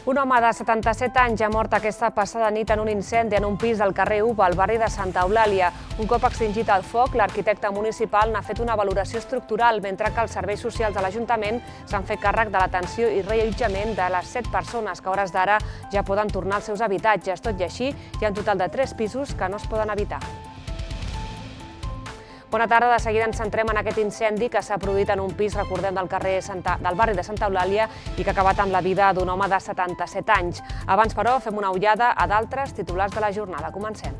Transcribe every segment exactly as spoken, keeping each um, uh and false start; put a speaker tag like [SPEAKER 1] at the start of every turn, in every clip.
[SPEAKER 1] Un home de setanta-set anys ha mort aquesta passada nit en un incendi en un pis del carrer Uva, al barri de Santa Eulàlia. Un cop extingit el foc, l'arquitecte municipal n'ha fet una valoració estructural, mentre que els serveis socials de l'Ajuntament s'han fet càrrec de l'atenció i reallotjament de les set persones que a hores d'ara ja poden tornar als seus habitatges. Tot i així, hi ha un total de tres pisos que no es poden habitar. Bona tarda, de seguida ens centrem en aquest incendi que s'ha produït en un pis, recordem, del carrer del barri de Santa Eulàlia i que ha acabat amb la vida d'un home de setanta-set anys. Abans, però, fem una ullada a d'altres titulars de la jornada. Comencem.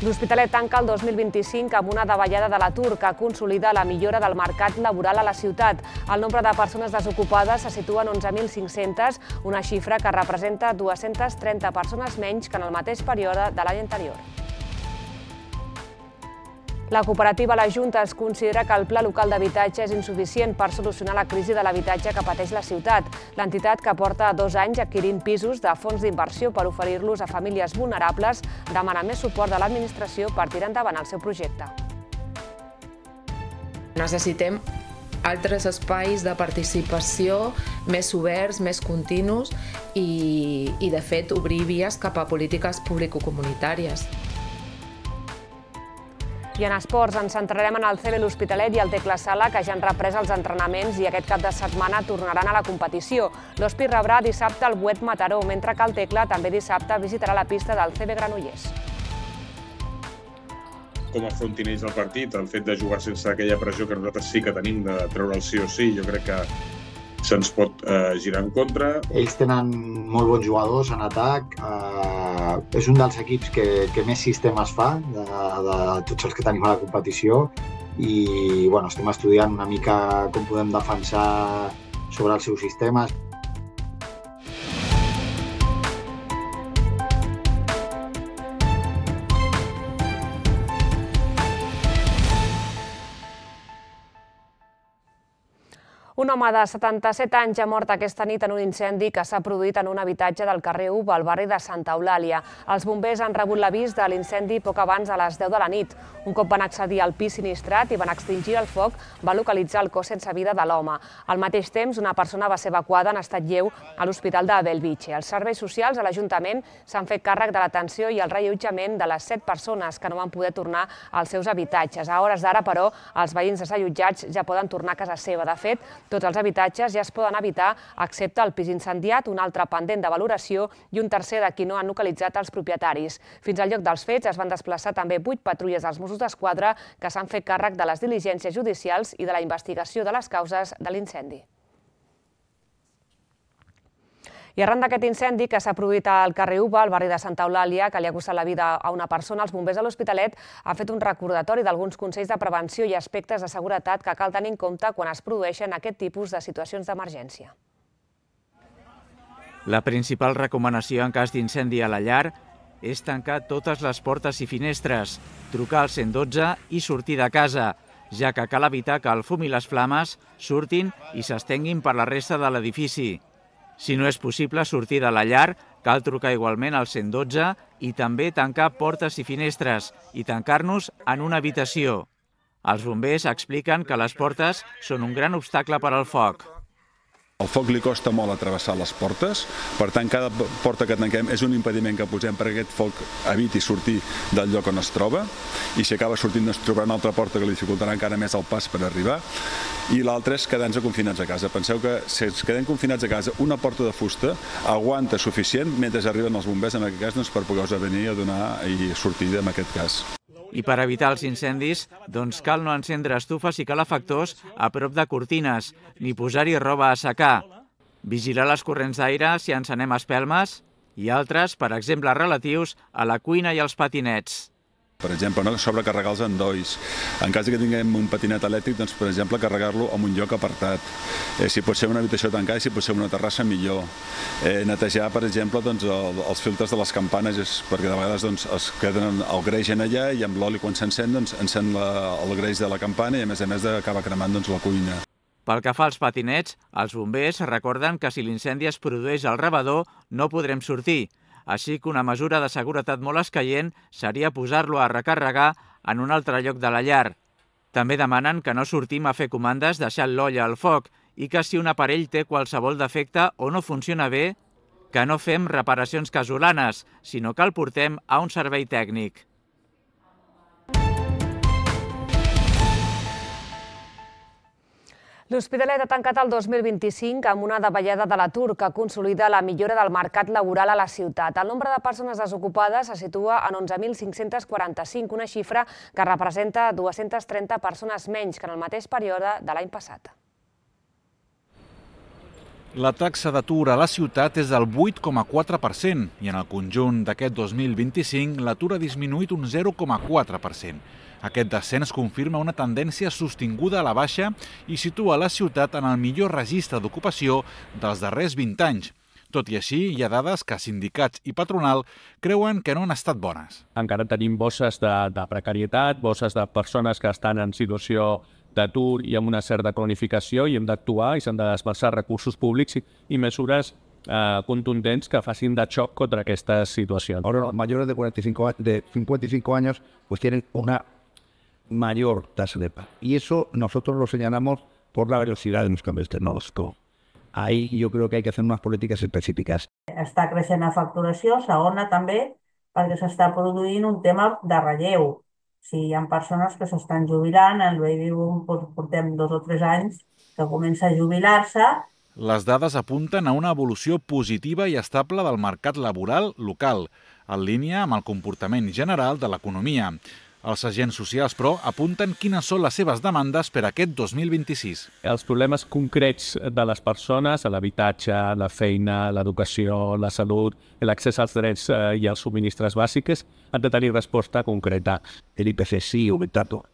[SPEAKER 1] L'Hospitalet tanca el dos mil vint-i-cinc amb una davallada de l'atur que consolida la millora del mercat laboral a la ciutat. El nombre de persones desocupades se situa en onze mil cinc-centes, una xifra que representa dues-centes trenta persones menys que en el mateix període de l'any anterior. La cooperativa La Junta es considera que el Pla Local d'Habitatge és insuficient per solucionar la crisi de l'habitatge que pateix la ciutat. L'entitat, que porta dos anys adquirint pisos de fons d'inversió per oferir-los a famílies vulnerables, demana més suport de l'administració per tirar endavant el seu projecte.
[SPEAKER 2] Necessitem altres espais de participació més oberts, més continus i, i de fet, obrir vies cap a polítiques público-comunitàries.
[SPEAKER 1] I en esports ens centrarem en el C B l'Hospitalet i el Tecla Sala, que ja han reprès els entrenaments i aquest cap de setmana tornaran a la competició. L'Hospi rebrà dissabte el Buet Mataró, mentre que el Tecla també dissabte visitarà la pista del C B Granollers.
[SPEAKER 3] Com afrontin ells el partit, el fet de jugar sense aquella pressió que nosaltres sí que tenim de treure el sí o sí, jo crec que se'ns pot eh, girar en contra.
[SPEAKER 4] Ells tenen molt bons jugadors en atac. Eh, és un dels equips que, que més sistemes fa de, de tots els que tenim a la competició i bueno, estem estudiant una mica com podem defensar sobre els seus sistemes.
[SPEAKER 1] Un home de setanta-set anys ha mort aquesta nit en un incendi que s'ha produït en un habitatge del carrer Uva, al barri de Santa Eulàlia. Els bombers han rebut l'avís de l'incendi poc abans de les deu de la nit. Un cop van accedir al pis sinistrat i van extingir el foc, va localitzar el cos sense vida de l'home. Al mateix temps, una persona va ser evacuada en estat lleu a l'Hospital de Bellvitge. Els serveis socials a l'Ajuntament s'han fet càrrec de l'atenció i el reallotjament de les set persones que no van poder tornar als seus habitatges. A hores d'ara, però, els veïns desallotjats ja poden tornar a casa seva. De fet, tots els habitatges ja es poden habitar, excepte el pis incendiat, un altre pendent de valoració i un tercer de qui no han localitzat els propietaris. Fins al lloc dels fets es van desplaçar també vuit patrulles dels Mossos d'Esquadra que s'han fet càrrec de les diligències judicials i de la investigació de les causes de l'incendi. I arran d'aquest incendi que s'ha produït al carrer Uva, al barri de Santa Eulàlia, que li ha costat la vida a una persona, els bombers de l'Hospitalet han fet un recordatori d'alguns consells de prevenció i aspectes de seguretat que cal tenir en compte quan es produeixen aquest tipus de situacions d'emergència.
[SPEAKER 5] La principal recomanació en cas d'incendi a la llar és tancar totes les portes i finestres, trucar al cent dotze i sortir de casa, ja que cal evitar que el fum i les flames surtin i s'estenguin per la resta de l'edifici. Si no és possible sortir de la llar, cal trucar igualment al cent dotze i també tancar portes i finestres i tancar-nos en una habitació. Els bombers expliquen que les portes són un gran obstacle per al foc.
[SPEAKER 6] El foc li costa molt atravessar les portes, per tant, cada porta que tanquem és un impediment que posem perquè aquest foc eviti sortir del lloc on es troba, i si acaba sortint es trobarà una altra porta que li dificultarà encara més el pas per arribar, i l'altre és quedar-nos confinats a casa. Penseu que si ens quedem confinats a casa, una porta de fusta aguanta suficient mentre arriben els bombers, en aquest cas, doncs, per poder-vos venir a donar i sortir en aquest cas.
[SPEAKER 5] I per evitar els incendis, doncs cal no encendre estufes i calefactors a prop de cortines, ni posar-hi roba a assecar. Vigilar les corrents d'aire si encenem espelmes i altres, per exemple, relatius a la cuina i als patinets.
[SPEAKER 6] Per exemple, no sobrecarregar els endolls. En cas que tinguem un patinet elèctric, doncs, per exemple, carregar-lo en un lloc apartat. Eh, si pot ser una habitació tancada i si pot ser una terrassa, millor. Eh, netejar, per exemple, doncs, el, els filtres de les campanes, és, perquè de vegades doncs, es queden el greix en allà i amb l'oli, quan s'encén, doncs, encén la, el greix de la campana i, a més a més, acaba cremant doncs, la cuina.
[SPEAKER 5] Pel que fa als patinets, els bombers recorden que si l'incendi es produeix al rebedor no podrem sortir, així que una mesura de seguretat molt escaient seria posar-lo a recarregar en un altre lloc de la llar. També demanen que no sortim a fer comandes deixant l'olla al foc i que si un aparell té qualsevol defecte o no funciona bé, que no fem reparacions casolanes, sinó que el portem a un servei tècnic.
[SPEAKER 1] L'Hospitalet ha tancat el dos mil vint-i-cinc amb una davallada de l'atur que consolida la millora del mercat laboral a la ciutat. El nombre de persones desocupades se situa en onze mil cinc-cents quaranta-cinc, una xifra que representa dues-centes trenta persones menys que en el mateix període de l'any passat.
[SPEAKER 7] La taxa d'atur a la ciutat és del vuit coma quatre per cent i en el conjunt d'aquest dos mil vint-i-cinc l'atur ha disminuït un zero coma quatre per cent. Aquest descens confirma una tendència sostinguda a la baixa i situa la ciutat en el millor registre d'ocupació dels darrers vint anys. Tot i així, hi ha dades que sindicats i patronal creuen que no han estat bones.
[SPEAKER 8] Encara tenim bosses de, de precarietat, bosses de persones que estan en situació d'atur i amb una certa cronificació i hem d'actuar i s'han de desplaçar recursos públics i, i mesures eh, contundents que facin de xoc contra aquestes situacions.
[SPEAKER 9] Ahora los mayores de, cuarenta y cinco, de cincuenta y cinco años pues tienen una mayor tasa de paro. Y eso nosotros lo señalamos por la velocidad de los cambios tecnológicos. Ahí yo creo que hay que hacer unas polítiques específiques.
[SPEAKER 10] Està creixent la facturació, segona també, perquè s'està produint un tema de relleu. Si hi ha persones que s'estan jubilant, el baby boom portem dos o tres anys que comença a jubilar-se.
[SPEAKER 7] Les dades apunten a una evolució positiva i estable del mercat laboral local, en línia amb el comportament general de l'economia. Els agents socials, però, apunten quines són les seves demandes per a aquest dos mil vint-i-sis.
[SPEAKER 8] Els problemes concrets de les persones, l'habitatge, la feina, l'educació, la salut, l'accés als drets i als subministres bàsics, han de tenir resposta concreta.
[SPEAKER 9] El I P C sigue aumentando,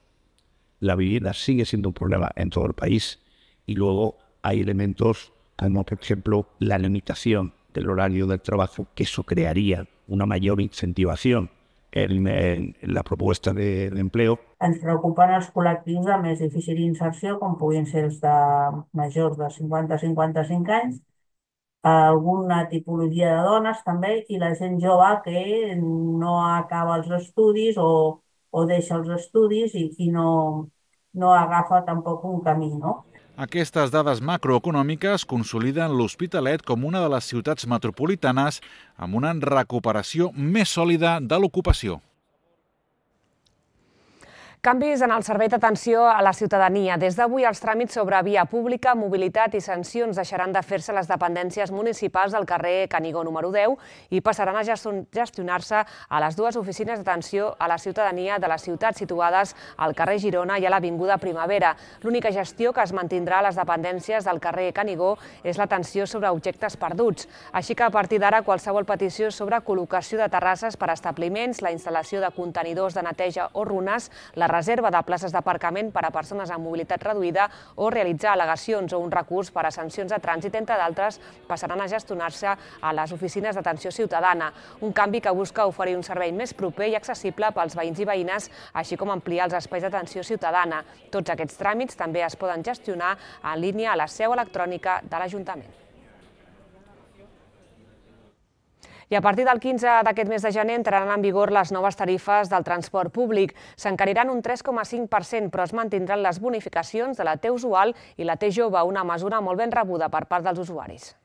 [SPEAKER 9] la vivienda sigue siendo un problema en todo el país y luego hay elementos como, por ejemplo, la limitación del horario del trabajo, que eso crearía una mayor incentivación en, en, en la propuesta de, de empleo.
[SPEAKER 10] Ens preocupen els col·lectius de més difícil inserció, com puguin ser els de majors de cinquanta a cinquanta-cinc anys, alguna tipologia de dones també, i la gent jove que no acaba els estudis o, o deixa els estudis i, i no, no agafa tampoc un camí, no?
[SPEAKER 7] Aquestes dades macroeconòmiques consoliden l'Hospitalet com una de les ciutats metropolitanes amb una recuperació més sòlida de l'ocupació.
[SPEAKER 1] Canvis en el servei d'atenció a la ciutadania. Des d'avui els tràmits sobre via pública, mobilitat i sancions deixaran de fer-se les dependències municipals del carrer Canigó número deu i passaran a gestionar-se a les dues oficines d'atenció a la ciutadania de les ciutats situades al carrer Girona i a l'Avinguda Primavera. L'única gestió que es mantindrà a les dependències del carrer Canigó és l'atenció sobre objectes perduts. Així que a partir d'ara qualsevol petició sobre col·locació de terrasses per a establiments, la instal·lació de contenidors de neteja o runes, la reserva de places d'aparcament per a persones amb mobilitat reduïda o realitzar al·legacions o un recurs per a sancions de trànsit, entre d'altres, passaran a gestionar-se a les oficines d'atenció ciutadana. Un canvi que busca oferir un servei més proper i accessible pels veïns i veïnes, així com ampliar els espais d'atenció ciutadana. Tots aquests tràmits també es poden gestionar en línia a la seu electrònica de l'Ajuntament. I a partir del quinze d'aquest mes de gener entraran en vigor les noves tarifes del transport públic. S'encariran un tres coma cinc per cent, però es mantindran les bonificacions de la T usual i la T jove, una mesura molt ben rebuda per part dels usuaris.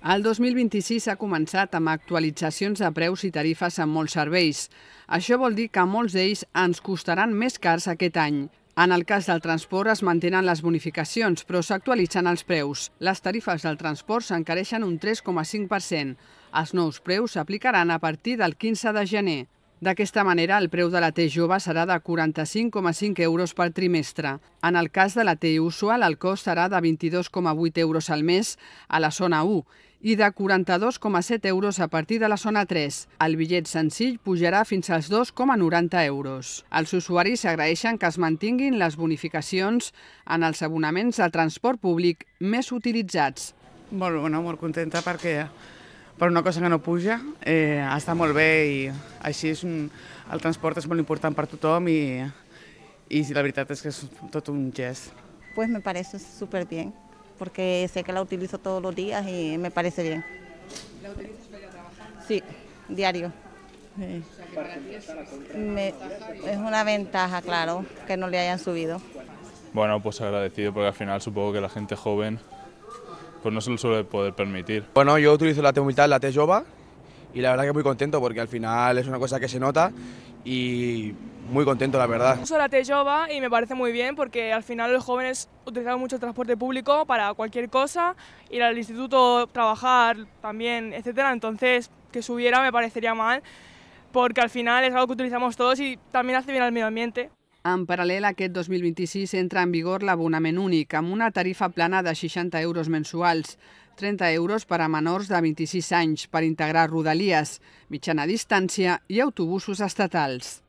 [SPEAKER 11] El dos mil vint-i-sis ha començat amb actualitzacions de preus i tarifes en molts serveis. Això vol dir que molts d'ells ens costaran més cars aquest any. En el cas del transport es mantenen les bonificacions, però s'actualitzen els preus. Les tarifes del transport s'encareixen un tres coma cinc per cent. Els nous preus s'aplicaran a partir del quinze de gener. D'aquesta manera, el preu de la T jove serà de quaranta-cinc coma cinc euros per trimestre. En el cas de la T usual, el cost serà de vint-i-dos coma vuit euros al mes a la zona u i de quaranta-dos coma set euros a partir de la zona tres. El bitllet senzill pujarà fins als dos coma noranta euros. Els usuaris agraeixen que es mantinguin les bonificacions en els abonaments de transport públic més utilitzats.
[SPEAKER 12] Molt bona, molt contenta perquè per una cosa que no puja eh, està molt bé i així és un, el transport és molt important per tothom i, i la veritat és que és tot un gest.
[SPEAKER 13] Pues me parece súper bien, porque sé que la utilizo todos los días y me parece bien.
[SPEAKER 12] ¿La utilizas para ir a trabajar?
[SPEAKER 13] Sí, diario. Sí.
[SPEAKER 12] O sea, que para ti es...
[SPEAKER 13] Me, es una ventaja, claro, que no le hayan subido.
[SPEAKER 14] bueno, pues agradecido porque al final supongo que la gente joven pues no se lo suele poder permitir.
[SPEAKER 15] Bueno, yo utilizo la T-Humildad, la T-Jova, y la verdad que muy contento porque al final es una cosa que se nota y muy contento, la verdad.
[SPEAKER 16] Uso la T-Jova y me parece muy bien porque al final los jóvenes utilizan mucho el transporte público para cualquier cosa, ir al instituto, trabajar también, etcétera. Entonces, que subiera me parecería mal porque al final es algo que utilizamos todos y también hace bien al medio ambiente.
[SPEAKER 11] En paral·lel, aquest dos mil vint-i-sis entra en vigor l'abonament únic, amb una tarifa plana de seixanta euros mensuals, trenta euros per a menors de vint-i-sis anys per integrar rodalies, mitjana distància i autobusos estatals.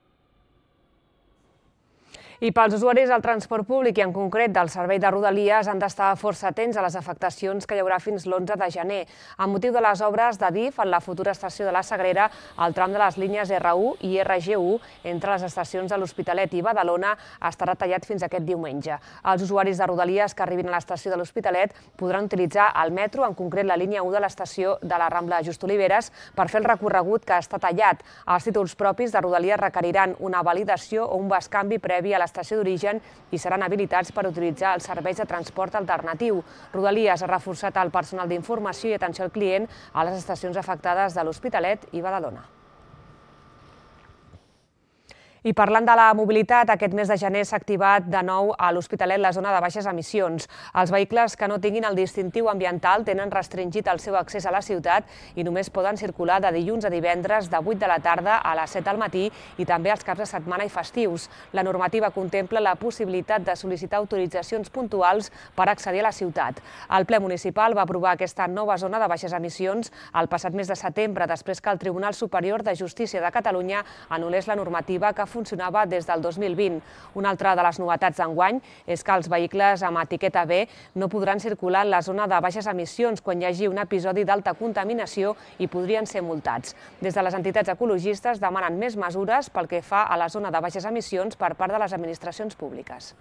[SPEAKER 1] I pels usuaris del transport públic i en concret del servei de Rodalies han d'estar força atents a les afectacions que hi haurà fins l'onze de gener. Amb motiu de les obres de D I F en la futura estació de la Sagrera, el tram de les línies R u i R G u entre les estacions de l'Hospitalet i Badalona estarà tallat fins aquest diumenge. Els usuaris de Rodalies que arribin a l'estació de l'Hospitalet podran utilitzar el metro, en concret la línia u de l'estació de la Rambla Just Oliveres, per fer el recorregut que està tallat. Els títols propis de Rodalies requeriran una validació o un bescanvi previ a l'estació d'origen i seran habilitats per utilitzar els serveis de transport alternatiu. Rodalies ha reforçat el personal d'informació i atenció al client a les estacions afectades de l'Hospitalet i Badalona. I parlant de la mobilitat, aquest mes de gener s'ha activat de nou a l'Hospitalet la zona de baixes emissions. Els vehicles que no tinguin el distintiu ambiental tenen restringit el seu accés a la ciutat i només poden circular de dilluns a divendres de vuit de la tarda a les set del matí i també els caps de setmana i festius. La normativa contempla la possibilitat de sol·licitar autoritzacions puntuals per accedir a la ciutat. El ple municipal va aprovar aquesta nova zona de baixes emissions el passat mes de setembre, després que el Tribunal Superior de Justícia de Catalunya anul·lés la normativa que funcionava des del dos mil vint. Una altra de les novetats d'enguany és que els vehicles amb etiqueta B no podran circular en la zona de baixes emissions quan hi hagi un episodi d'alta contaminació i podrien ser multats. Des de les entitats ecologistes demanen més mesures pel que fa a la zona de baixes emissions per part de les administracions públiques.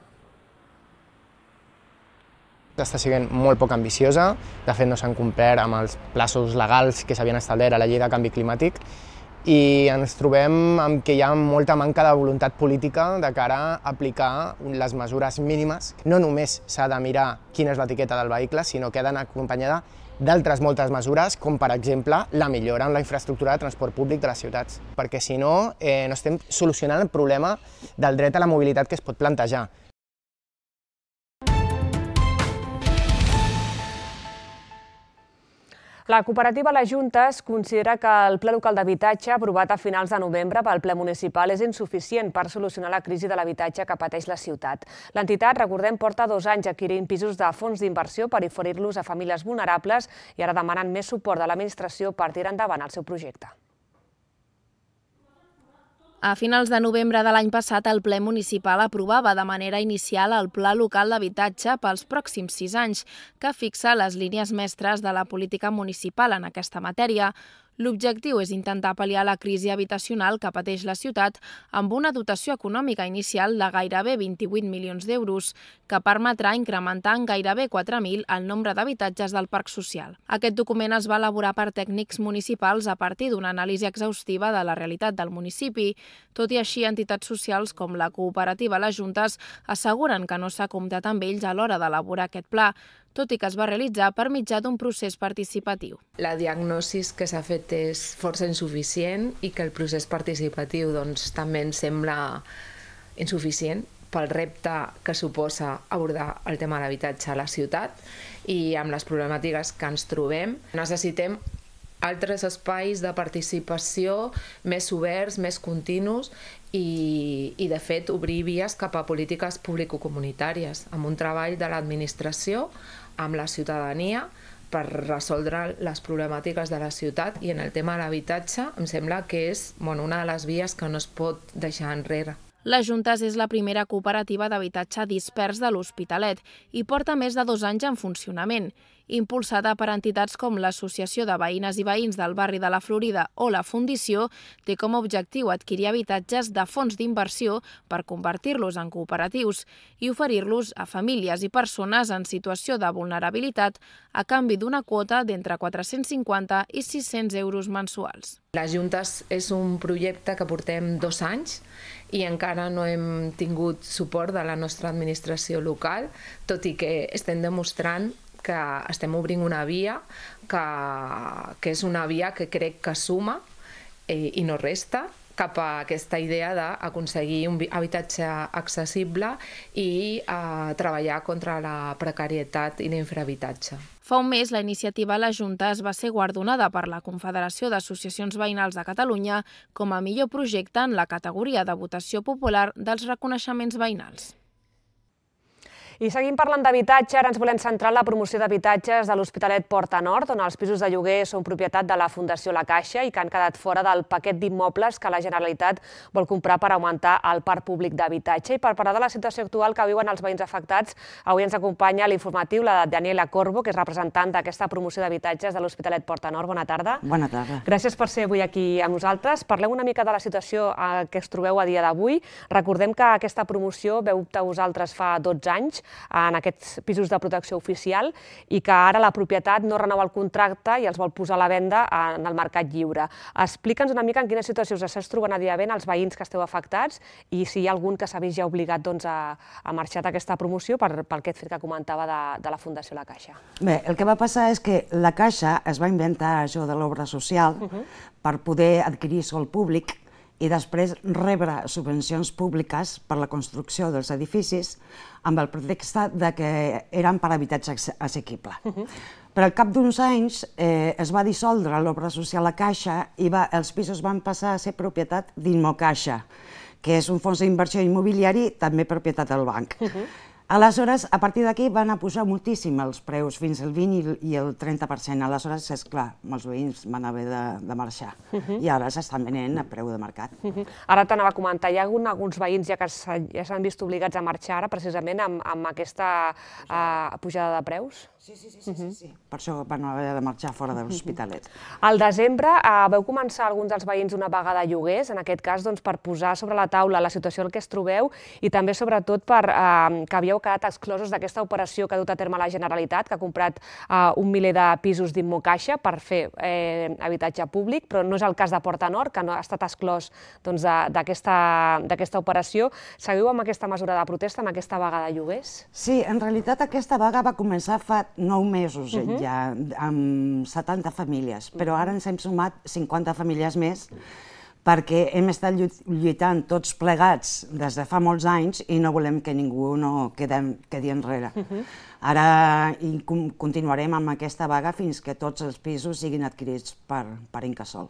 [SPEAKER 17] Està sent molt poc ambiciosa, de fet no s'han complert amb els plaços legals que s'havien establert a la llei de canvi climàtic i ens trobem amb que hi ha molta manca de voluntat política de cara a aplicar les mesures mínimes. No només s'ha de mirar quina és l'etiqueta del vehicle, sinó que ha d'anar acompanyada d'altres moltes mesures, com per exemple la millora en la infraestructura de transport públic de les ciutats, perquè si no, eh, no estem solucionant el problema del dret a la mobilitat que es pot plantejar.
[SPEAKER 1] La cooperativa Les Juntes considera que el Pla Local d'Habitatge aprovat a finals de novembre pel ple municipal és insuficient per solucionar la crisi de l'habitatge que pateix la ciutat. L'entitat, recordem, porta dos anys adquirint pisos de fons d'inversió per oferir-los a famílies vulnerables i ara demanen més suport de l'administració per tirar endavant el seu projecte.
[SPEAKER 18] A finals de novembre de l'any passat, el ple municipal aprovava de manera inicial el Pla Local d'Habitatge pels pròxims sis anys, que fixa les línies mestres de la política municipal en aquesta matèria. L'objectiu és intentar pal·liar la crisi habitacional que pateix la ciutat amb una dotació econòmica inicial de gairebé vint-i-vuit milions d'euros, que permetrà incrementar en gairebé quatre mil el nombre d'habitatges del parc social. Aquest document es va elaborar per tècnics municipals a partir d'una anàlisi exhaustiva de la realitat del municipi. Tot i així, entitats socials com la cooperativa Les Juntes asseguren que no s'ha comptat amb ells a l'hora d'elaborar aquest pla, tot i que es va realitzar per mitjà d'un procés participatiu.
[SPEAKER 2] La diagnosi que s'ha fet és força insuficient i que el procés participatiu doncs, també ens sembla insuficient pel repte que suposa abordar el tema de l'habitatge a la ciutat i amb les problemàtiques que ens trobem. Necessitem altres espais de participació més oberts, més continus i, i de fet, obrir vies cap a polítiques público-comunitàries, amb un treball de l'administració, amb la ciutadania, per resoldre les problemàtiques de la ciutat i en el tema de l'habitatge em sembla que és bueno, una de les vies que no es pot deixar enrere.
[SPEAKER 18] Les Juntes és la primera cooperativa d'habitatge dispers de l'Hospitalet i porta més de dos anys en funcionament. impulsada per entitats com l'Associació de Veïnes i Veïns del barri de la Florida o la Fundició, té com a objectiu adquirir habitatges de fons d'inversió per convertir-los en cooperatius i oferir-los a famílies i persones en situació de vulnerabilitat a canvi d'una quota d'entre quatre-cents cinquanta i sis-cents euros mensuals.
[SPEAKER 2] Les Juntes és un projecte que portem dos anys i encara no hem tingut suport de la nostra administració local, tot i que estem demostrant que estem obrint una via que, que és una via que crec que suma eh, i no resta cap a aquesta idea d'aconseguir un habitatge accessible i eh, treballar contra la precarietat i l'infrahabitatge.
[SPEAKER 18] Fa un mes, la iniciativa a la Junta es va ser guardonada per la Confederació d'Associacions Veïnals de Catalunya com a millor projecte en la categoria de votació popular dels reconeixements veïnals.
[SPEAKER 1] I seguim parlant d'habitatge, ara ens volem centrar en la promoció d'habitatges de l'Hospitalet Porta Nord, on els pisos de lloguer són propietat de la Fundació La Caixa i que han quedat fora del paquet d'immobles que la Generalitat vol comprar per augmentar el parc públic d'habitatge. I per parlar de la situació actual que viuen els veïns afectats, avui ens acompanya a l'informatiu la Daniela Corbo, que és representant d'aquesta promoció d'habitatges de l'Hospitalet Porta Nord. Bona tarda.
[SPEAKER 19] Bona tarda.
[SPEAKER 1] Gràcies per ser avui aquí amb nosaltres. Parleu una mica de la situació que es trobeu a dia d'avui. Recordem que aquesta promoció veu optar vosaltres fa dotze anys en aquests pisos de protecció oficial i que ara la propietat no renova el contracte i els vol posar a la venda en el mercat lliure. Explica'ns una mica en quina situació us esteu trobant a dia d'avui els veïns que esteu afectats i si hi ha algun que s'ha vist ja obligat a marxar d'aquesta promoció per aquest fet que comentava de la Fundació La Caixa.
[SPEAKER 19] Bé, el que va passar és que la Caixa es va inventar això de l'obra social per poder adquirir sòl públic i després rebre subvencions públiques per la construcció dels edificis amb el pretext que eren per habitatge assequible. Però al cap d'uns anys es va dissoldre l'obra social La Caixa i els pisos van passar a ser propietat d'Immocaixa, que és un fons d'inversió immobiliari també propietat del banc. Aleshores, a partir d'aquí van a pujar moltíssim els preus, fins al vint i el trenta per cent. Aleshores, és clar, molts veïns van haver de marxar i ara s'estan venent a preu de mercat.
[SPEAKER 1] Ara t'anava a comentar, hi ha alguns veïns ja que s'han vist obligats a marxar ara precisament amb aquesta pujada de preus?
[SPEAKER 19] Sí, sí, sí, per això van haver de marxar fora de l'Hospitalet.
[SPEAKER 1] Al desembre veu començar alguns dels veïns una vaga de lloguers, en aquest cas per posar sobre la taula la situació en què es trobeu i també sobretot que havíeu quedat exclosos d'aquesta operació que ha dut a terme la Generalitat, que ha comprat un miler de pisos d'Immocaixa per fer habitatge públic, però no és el cas de Porta Nord, que no ha estat exclòs d'aquesta operació. Seguiu amb aquesta mesura de protesta, amb aquesta vaga de lloguers?
[SPEAKER 19] Sí, en realitat aquesta vaga va començar fa nou mesos ja, amb setanta famílies, però ara ens hem sumat cinquanta famílies més perquè hem estat lluitant tots plegats des de fa molts anys i no volem que ningú no quedi enrere. Ara continuarem amb aquesta vaga fins que tots els pisos siguin adquirits per Incasòl.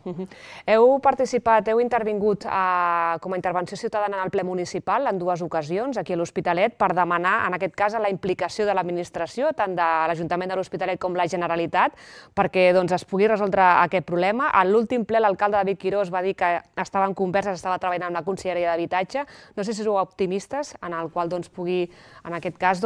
[SPEAKER 1] Heu participat, heu intervingut com a intervenció ciutadana en el ple municipal en dues ocasions, aquí a l'Hospitalet, per demanar, en aquest cas, la implicació de l'administració, tant de l'Ajuntament de l'Hospitalet com la Generalitat, perquè es pugui resoldre aquest problema. A l'últim ple, l'alcalde David Quirós va dir que estava en converses, estava treballant amb la Conselleria d'Habitatge. No sé si sou optimistes en el qual pugui, en aquest cas,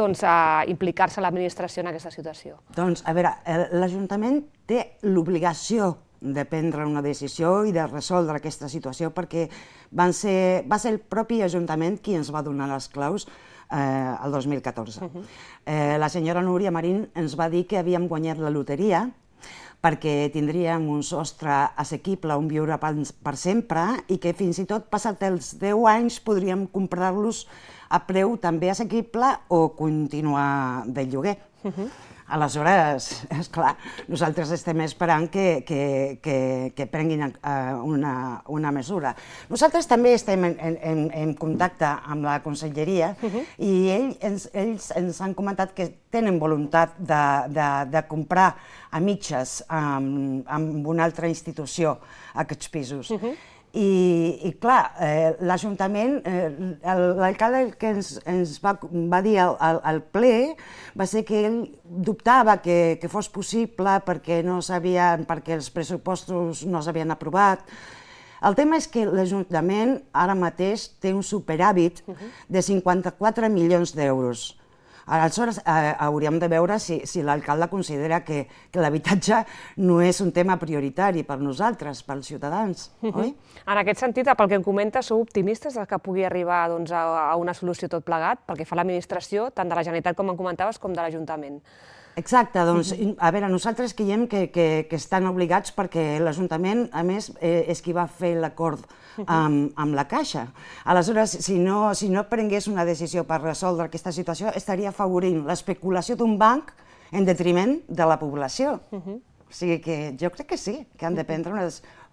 [SPEAKER 1] implicar-se l'administració en aquesta situació.
[SPEAKER 19] Doncs, a veure, l'Ajuntament té l'obligació de prendre una decisió i de resoldre aquesta situació perquè va ser el propi Ajuntament qui ens va donar les claus el dos mil catorze. La senyora Núria Marín ens va dir que havíem guanyat la loteria perquè tindríem un sostre assequible on viure per sempre i que fins i tot passat els deu anys podríem comprar-los a preu també assequible o continuar de lloguer. Aleshores, esclar, nosaltres estem esperant que prenguin una mesura. Nosaltres també estem en contacte amb la Conselleria i ells ens han comentat que tenen voluntat de comprar a mitges amb una altra institució aquests pisos. I, clar, l'Ajuntament, l'alcalde que ens va dir al ple va ser que ell dubtava que fos possible perquè els pressupostos no s'havien aprovat. El tema és que l'Ajuntament ara mateix té un superàvit de cinquanta-quatre milions d'euros. Aleshores, eh, hauríem de veure si, si l'alcalde considera que, que l'habitatge no és un tema prioritari per nosaltres, pels ciutadans, oi?
[SPEAKER 1] En aquest sentit, pel que em comenta, sou optimistes que pugui arribar doncs, a, a una solució tot plegat, pel que fa a l'administració, tant de la Generalitat, com em comentaves, com de l'Ajuntament.
[SPEAKER 19] Exacte, doncs, a veure, nosaltres creiem que, que, que estan obligats perquè l'Ajuntament, a més, eh, és qui va fer l'acord amb, amb la Caixa. Aleshores, si no, si no prengués una decisió per resoldre aquesta situació, estaria afavorint l'especulació d'un banc en detriment de la població. O sigui que jo crec que sí, que han de prendre una,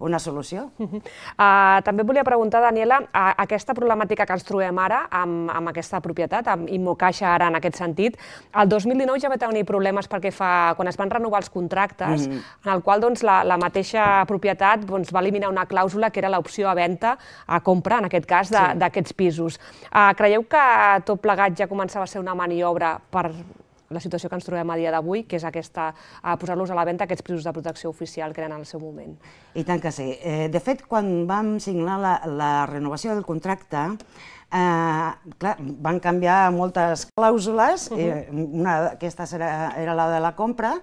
[SPEAKER 19] una solució.
[SPEAKER 1] Uh, uh, també volia preguntar, Daniela, uh, aquesta problemàtica que ens trobem ara amb, amb aquesta propietat, amb Immocaixa ara en aquest sentit, el dos mil dinou ja va tenir problemes perquè fa, quan es van renovar els contractes, mm. en el qual doncs, la, la mateixa propietat doncs, va eliminar una clàusula que era l'opció a venda, a compra, en aquest cas, d'aquests sí. pisos. Uh, creieu que tot plegat ja començava a ser una maniobra per la situació que ens trobem a dia d'avui, que és aquesta, posar-los a la venda aquests pisos de protecció oficial que eren en el seu moment?
[SPEAKER 19] I tant que sí. De fet, quan vam signar la, la renovació del contracte, eh, clar, van canviar moltes clàusules, uh-huh. una d'aquestes era, era la de la compra,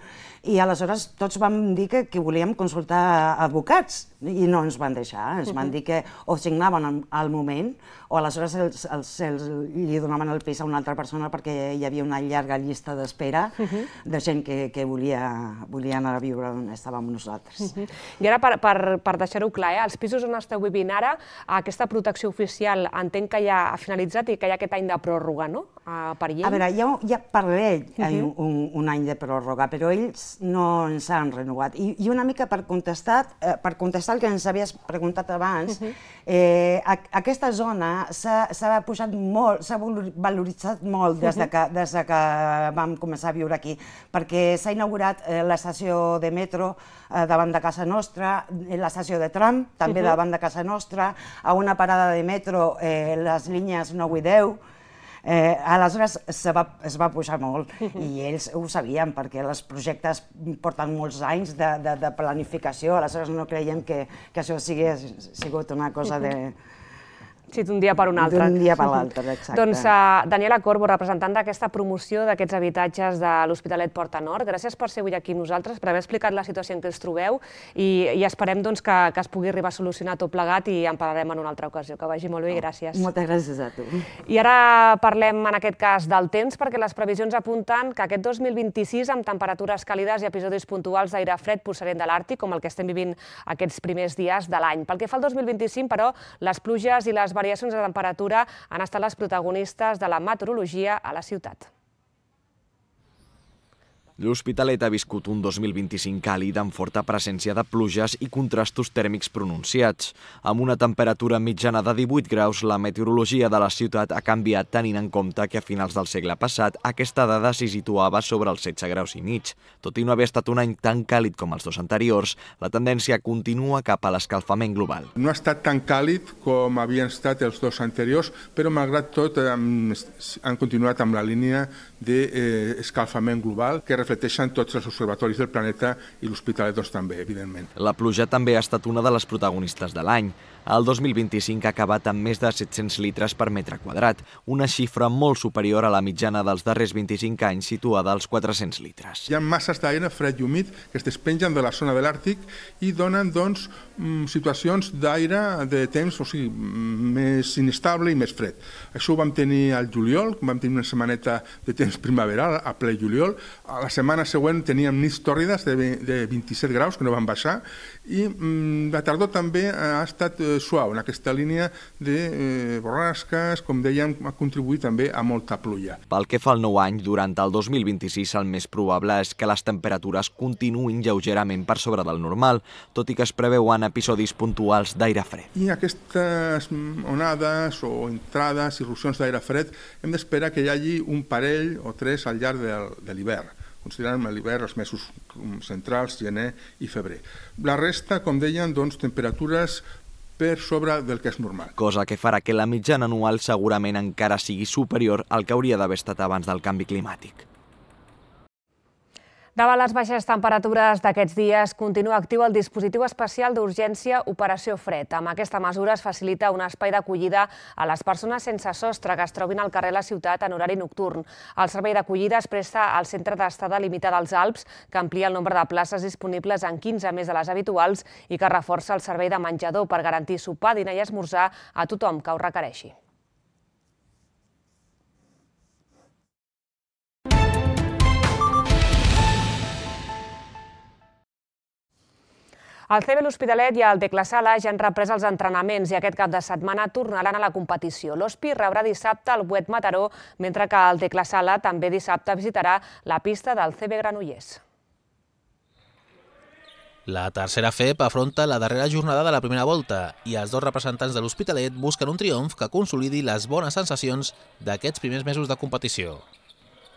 [SPEAKER 19] i aleshores tots vam dir que, que volíem consultar advocats, i no ens van deixar, ens van dir que o signaven al moment, o aleshores els, els, els, li donaven el pis a una altra persona perquè hi havia una llarga llista d'espera uh-huh. de gent que, que volia, volia anar a viure on estàvem nosaltres.
[SPEAKER 1] Uh-huh. I ara, per, per, per deixar-ho clar, eh, els pisos on esteu vivint ara, aquesta protecció oficial entenc que ja ha finalitzat i que hi ha aquest any de pròrroga, no?, uh, per llei?
[SPEAKER 19] A veure, hi ha, hi ha per llei uh-huh. un, un any de pròrroga, però ells no ens han renovat. I, i una mica per contestar, eh, per contestar el que ens havies preguntat abans, uh-huh. eh, a, aquesta zona s'ha pujat molt, s'ha valoritzat molt des de, que, des de que vam començar a viure aquí, perquè s'ha inaugurat eh, l'estació de metro eh, davant de casa nostra, l'estació de tram també uh-huh. davant de casa nostra, a una parada de metro eh, les línies nou i deu, Eh, aleshores es va, es va pujar molt i ells ho sabien perquè els projectes porten molts anys de, de, de planificació, aleshores no creiem que, que això sigui sigut una cosa de...
[SPEAKER 1] Sí, d'un dia per un altre.
[SPEAKER 19] D'un dia per l'altre, exacte.
[SPEAKER 1] Doncs uh, Daniela Corbo, representant d'aquesta promoció d'aquests habitatges de l'Hospitalet Porta Nord, gràcies per ser avui aquí amb nosaltres, per haver explicat la situació en què ens trobeu i, i esperem doncs, que, que es pugui arribar a solucionar tot plegat i en parlarem en una altra ocasió. Que vagi molt bé i gràcies.
[SPEAKER 19] Moltes gràcies a tu.
[SPEAKER 1] I ara parlem en aquest cas del temps, perquè les previsions apunten que aquest dos mil vint-i-sis, amb temperatures càlides i episodis puntuals d'aire fred procedent de l'Àrtic, com el que estem vivint aquests primers dies de l'any. Pel que fa al dos mil vint-i-cinc, però, les pluges i les variacions de temperatura han estat les protagonistes de la meteorologia a la ciutat.
[SPEAKER 20] L'Hospitalet ha viscut un dos mil vint-i-cinc càlid amb forta presència de pluges i contrastos tèrmics pronunciats. Amb una temperatura mitjana de divuit graus, la meteorologia de la ciutat ha canviat tenint en compte que a finals del segle passat aquesta dada s'hi situava sobre els setze graus i mig. Tot i no haver estat un any tan càlid com els dos anteriors, la tendència continua cap a l'escalfament global.
[SPEAKER 21] No ha estat tan càlid com havien estat els dos anteriors, però malgrat tot han continuat amb la línia d'escalfament global que reflecteixen tots els observatoris del planeta i l'Hospitalet doncs, també, evidentment.
[SPEAKER 20] La pluja també ha estat una de les protagonistes de l'any. El dos mil vint-i-cinc ha acabat amb més de set-cents litres per metre quadrat, una xifra molt superior a la mitjana dels darrers vint-i-cinc anys situada als quatre-cents litres.
[SPEAKER 21] Hi ha masses d'aire fred i humit que es despengen de la zona de l'Àrtic i donen doncs, situacions d'aire de temps o sigui, més inestable i més fred. Això ho vam tenir al juliol, vam tenir una setmaneta de temps primaveral a ple juliol. A la setmana següent teníem nits tòrrides de vint-i-set graus que no van baixar i la tardor també ha estat suau en aquesta línia de borrasques, com dèiem, ha contribuït també a molta pluja.
[SPEAKER 20] Pel que fa al nou any, durant el dos mil vint-i-sis el més probable és que les temperatures continuïn lleugerament per sobre del normal, tot i que es preveuen episodis puntuals d'aire fred.
[SPEAKER 21] I aquestes onades o entrades, irrupcions d'aire fred, hem d'esperar que hi hagi un parell o tres al llarg de l'hivern. Considerant l'hivern els mesos centrals, gener i febrer. La resta, com deien, doncs, temperatures per sobre del que és normal.
[SPEAKER 20] Cosa que farà que la mitjana anual segurament encara sigui superior al que hauria d'haver estat abans del canvi climàtic.
[SPEAKER 1] Davant les baixes temperatures d'aquests dies, continua actiu el dispositiu especial d'urgència Operació Fred. Amb aquesta mesura es facilita un espai d'acollida a les persones sense sostre que es trobin al carrer de la ciutat en horari nocturn. El servei d'acollida es presta al Centre d'Estada Limitada als Alps, que amplia el nombre de places disponibles en quinze més de les habituals i que reforça el servei de menjador per garantir sopar, dinar i esmorzar a tothom que ho requereixi. El C B l'Hospitalet i el Tecla Sala ja han reprès els entrenaments i aquest cap de setmana tornaran a la competició. L'Hospi rebrà dissabte el Buet Mataró, mentre que el Tecla Sala també dissabte visitarà la pista del C B Granollers.
[SPEAKER 3] La tercera F E P afronta la darrera jornada de la primera volta i els dos representants de l'Hospitalet busquen un triomf que consolidi les bones sensacions d'aquests primers mesos de competició.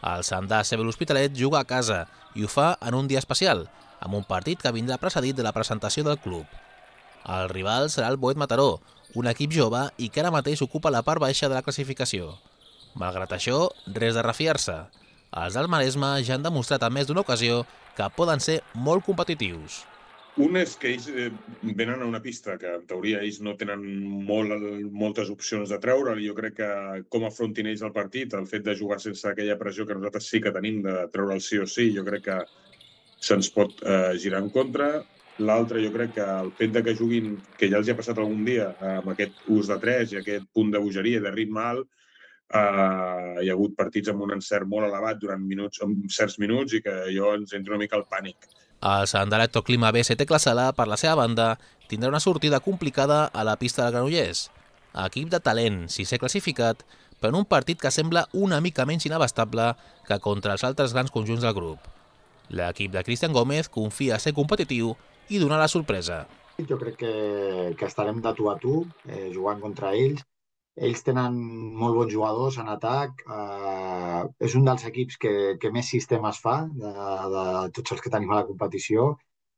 [SPEAKER 3] El Sandà C B l'Hospitalet juga a casa i ho fa en un dia especial, amb un partit que vindrà precedit de la presentació del club. El rival serà el Buet Mataró, un equip jove i que ara mateix ocupa la part baixa de la classificació. Malgrat això, res de refiar-se. Els del Maresme ja han demostrat en més d'una ocasió que poden ser molt competitius.
[SPEAKER 22] Un és que ells venen a una pista que, en teoria, ells no tenen molt, moltes opcions de treure. Jo crec que com afrontin ells el partit, el fet de jugar sense aquella pressió que nosaltres sí que tenim de treure el sí o sí, jo crec que se'ns pot eh, girar en contra. L'altre, jo crec que el fet de que juguin, que ja els hi ha passat algun dia, amb aquest ús de tres i aquest punt de bogeria i de ritme alt, eh, hi ha hagut partits amb un encert molt elevat durant minuts, en certs minuts i que jo ens entra una mica el pànic.
[SPEAKER 3] El Sandà Electroclima B S Tecla Sala, per la seva banda, tindrà una sortida complicada a la pista del Granollers. Equip de talent, si s'ha classificat, per un partit que sembla una mica menys inabastable que contra els altres grans conjunts del grup. L'equip de Cristian Gómez confia a ser competitiu i donar la sorpresa.
[SPEAKER 4] Jo crec que, que estarem de tu a tu, eh, jugant contra ells. Ells tenen molt bons jugadors en atac. Eh, és un dels equips que, que més sistemes fa de, de tots els que tenim a la competició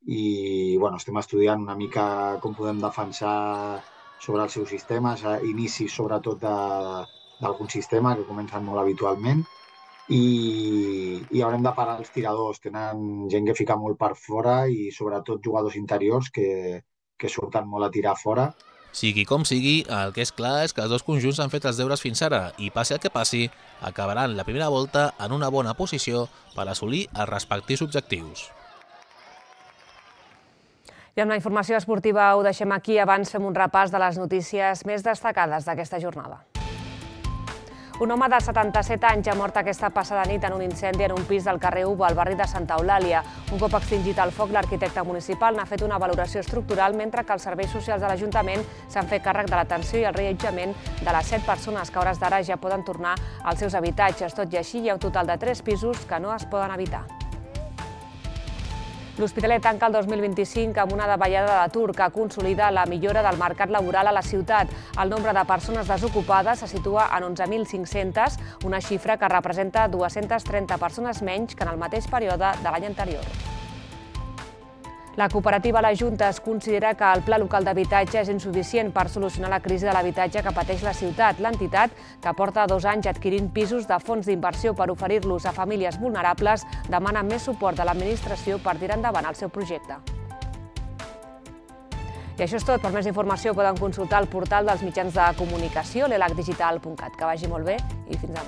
[SPEAKER 4] i bueno, estem estudiant una mica com podem defensar sobre els seus sistemes, eh, inicis sobretot d'algun sistema que comencen molt habitualment. I, i haurem de parar els tiradors. Tenen gent que fica molt per fora i sobretot jugadors interiors que, que surten molt a tirar fora.
[SPEAKER 3] Sigui com sigui, el que és clar és que els dos conjunts han fet els deures fins ara i, passi el que passi, acabaran la primera volta en una bona posició per assolir els respectius objectius.
[SPEAKER 1] I amb la informació esportiva ho deixem aquí. Abans fem un repàs de les notícies més destacades d'aquesta jornada. Un home de setanta-set anys ha mort aquesta passada nit en un incendi en un pis del carrer Uva, al barri de Santa Eulàlia. Un cop extingit el foc, l'arquitecte municipal n'ha fet una valoració estructural, mentre que els serveis socials de l'Ajuntament s'han fet càrrec de l'atenció i el reallotjament de les set persones que a hores d'ara ja poden tornar als seus habitatges. Tot i així, hi ha un total de tres pisos que no es poden habitar. L'Hospitalet tanca el dos mil vint-i-cinc amb una davallada d'atur que consolida la millora del mercat laboral a la ciutat. El nombre de persones desocupades se situa en onze mil cinc-centes, una xifra que representa dues-centes trenta persones menys que en el mateix període de l'any anterior. La cooperativa La Junta es considera que el Pla Local d'Habitatge és insuficient per solucionar la crisi de l'habitatge que pateix la ciutat. L'entitat, que porta dos anys adquirint pisos de fons d'inversió per oferir-los a famílies vulnerables, demana més suport de l'administració per tirar endavant el seu projecte. I això és tot. Per més informació poden consultar el portal dels mitjans de comunicació, l'elac digital punt cat. Que vagi molt bé i fins demà.